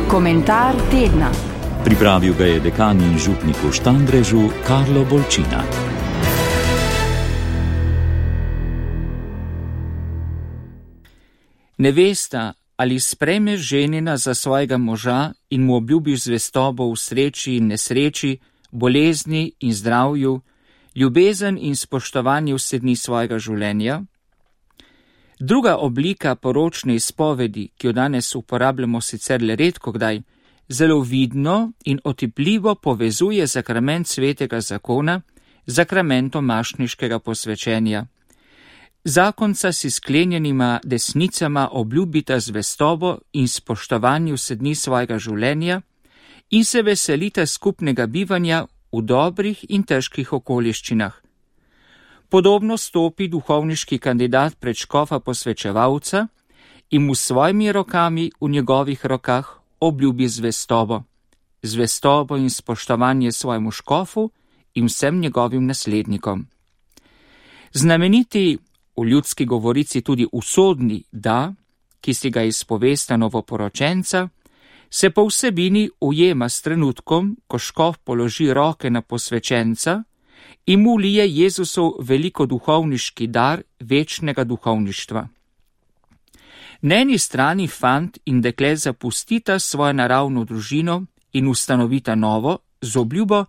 Komentar tedna. Pripravil ga je dekan in župnik v Štandrežu Karlo Bolčina. Nevesta, ali sprejmeš ženina za svojega moža in mu obljubiš zvestobo v sreči in nesreči, bolezni in zdravju, ljubezen in spoštovanje vse dni svojega življenja? Druga oblika poročne izpovedi, ki jo danes uporabljamo sicer le redkokdaj, zelo vidno in otipljivo povezuje sakrament svetega zakona z sakramentom mašniškega posvečenja. Zakonca si sklenjenima desnicama obljubita zvestobo in spoštovanje vse dni svojega življenja in se veselita skupnega bivanja v dobrih in težkih okoliščinah. Podobno stopi duhovniški kandidat pred škofa posvečevalca in mu s svojimi rokami v njegovih rokah obljubi zvestobo in spoštovanje svojemu škofu in vsem njegovim naslednikom. Znameniti, v ljudski govorici tudi usodni da, ki si ga izpovesta novoporočenca, se po vsebini ujema s trenutkom, ko škof položi roke na posvečenca in mu lije Jezusov velikoduhovniški dar večnega duhovništva. Na eni strani fant in dekle zapustita svojo naravno družino in ustanovita novo z obljubo,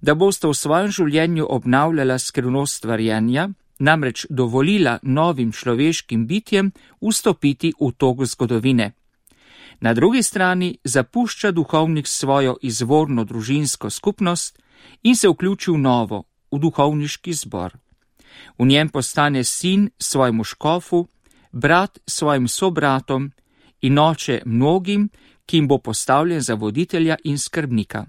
da bosta v svojem življenju obnavljala skrivnost stvarjenja, namreč dovolila novim človeškim bitjem vstopiti v tok zgodovine. Na drugi strani zapušča duhovnik svojo izvorno družinsko skupnost in se vključi v novo, v duhovniški zbor. V njem postane sin svojemu škofu, brat svojim sobratom in oče mnogim, ki jim bo postavljen za voditelja in skrbnika.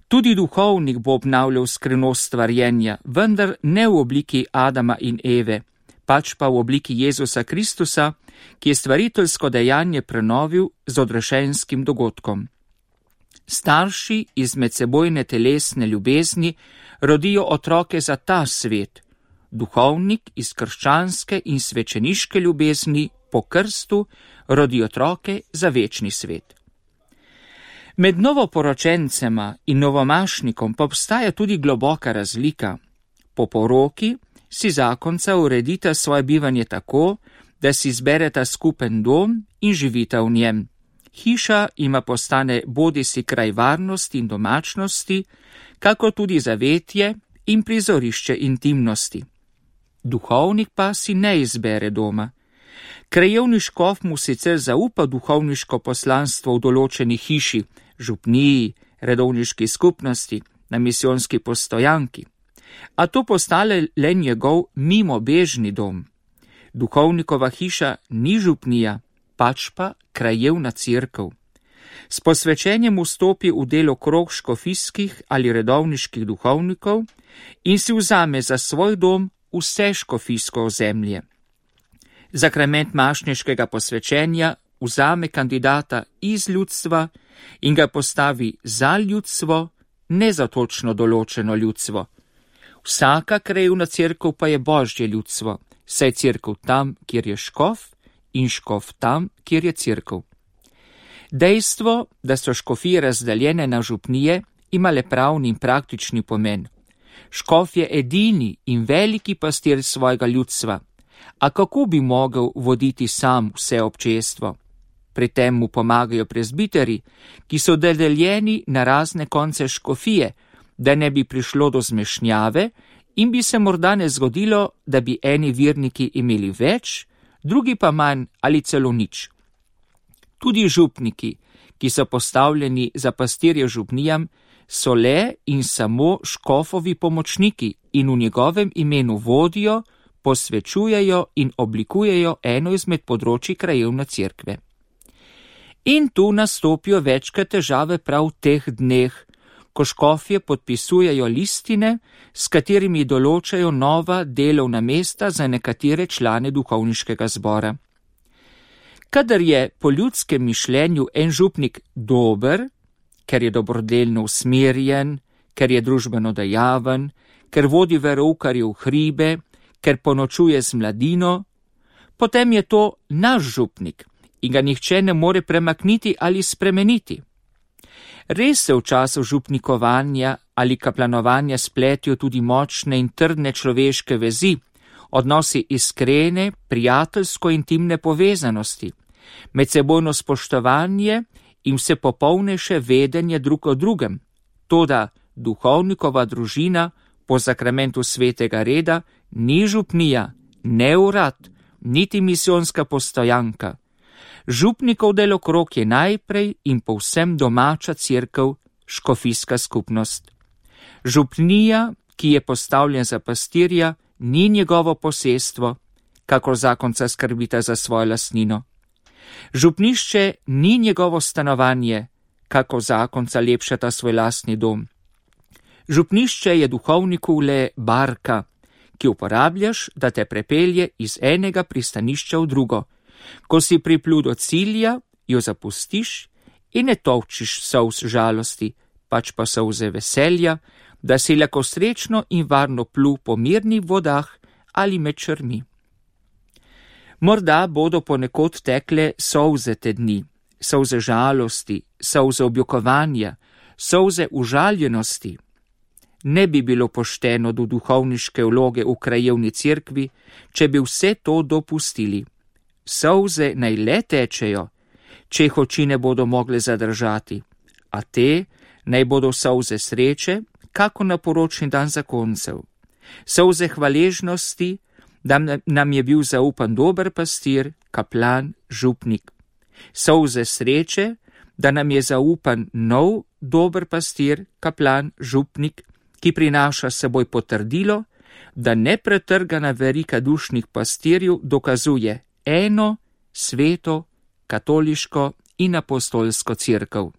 Tudi duhovnik bo obnavljal skrivnost stvarjenja, vendar ne v obliki Adama in Eve, pač pa v obliki Jezusa Kristusa, ki je stvariteljsko dejanje prenovil z odrešenskim dogodkom. Starši iz medsebojne telesne ljubezni rodijo otroke za ta svet, duhovnik iz krščanske in svečeniške ljubezni po krstu rodi otroke za večni svet. Med novoporočencema in novomašnikom pa obstaja tudi globoka razlika. Po poroki si zakonca uredita svoje bivanje tako, da si izbereta skupen dom in živita v njem. Hiša ima postane bodisi kraj varnosti in domačnosti, kako tudi zavetje in prizorišče intimnosti. Duhovnik pa si ne izbere doma. Krajevni škof mu sicer zaupa duhovniško poslanstvo v določeni hiši, župniji, redovniški skupnosti, na misijonski postojanki, a to postane le njegov mimobežni dom. Duhovnikova hiša ni župnija, pač pa krajevna cerkev. S posvečenjem vstopi v delo krog škofijskih ali redovniških duhovnikov in si vzame za svoj dom vse škofijsko ozemlje. Sakrament mašniškega posvečenja vzame kandidata iz ljudstva in ga postavi za ljudstvo, ne za točno določeno ljudstvo. Vsaka krajevna cerkev pa je Božje ljudstvo, saj je cerkev tam, kjer je škof, in škof tam, kjer je cerkev. Dejstvo, da so škofije razdaljene na župnije, ima le pravni in praktični pomen. Škof je edini in veliki pastir svojega ljudstva, a kako bi mogel voditi sam vse občestvo? Pri tem mu pomagajo prezbiteri, ki so deljeni na razne konce škofije, da ne bi prišlo do zmešnjave in bi se morda ne zgodilo, da bi eni verniki imeli več, drugi pa manj ali celo nič. Tudi župniki, ki so postavljeni za pastirje župnijam, so le in samo škofovi pomočniki in v njegovem imenu vodijo, posvečujejo in oblikujejo eno izmed področij krajevne cerkve. In tu nastopijo večkrat težave prav v teh dneh, ko škofje podpisujejo listine, s katerimi določajo nova delovna mesta za nekatere člane duhovniškega zbora. Kadar je po ljudskem mišljenju en župnik dober, ker je dobrodelno usmerjen, ker je družbeno dejaven, ker vodi veroukarje v hribe, ker ponočuje z mladino, potem je to naš župnik in ga nihče ne more premakniti ali spremeniti. Res se v času župnikovanja ali kaplanovanja spletijo tudi močne in trdne človeške vezi, odnosi iskrene, prijateljsko-intimne povezanosti, medsebojno spoštovanje in vse popolnejše vedenje drug o drugem. Toda duhovnikova družina po sakramentu svetega reda ni župnija, ne urad, niti misijonska postojanka. Župnikov delokrog je najprej in povsem domača cerkev, škofijska skupnost. Župnija, ki je postavljen za pastirja, ni njegovo posestvo, kakor zakonca skrbita za svojo lastnino. Župnišče ni njegovo stanovanje, kako zakonca lepšata svoj lastni dom. Župnišče je duhovniku le barka, ki uporabljaš, da te prepelje iz enega pristanišča v drugo. Ko si priplul do cilja, jo zapustiš in ne tolčiš solz žalosti, pač pa solze veselja, da si lahko srečno in varno plul po mirnih vodah ali med črmi. Morda bodo ponekod tekle solze te dni, solze žalosti, solze objokovanja, solze užaljenosti. Ne bi bilo pošteno do duhovniške vloge v krajevni cerkvi, če bi vse to dopustili. Solze naj le tečejo, če jih oči ne bodo mogle zadržati, a te naj bodo solze sreče, kako na poročni dan zakoncev. Solze hvaležnosti, da nam je bil zaupan dober pastir, kaplan, župnik. Solze sreče, da nam je zaupan nov dober pastir, kaplan, župnik, ki prinaša s seboj potrdilo, da nepretrgana verika dušnih pastirjev dokazuje eno, sveto, katoliško in apostolsko cerkev.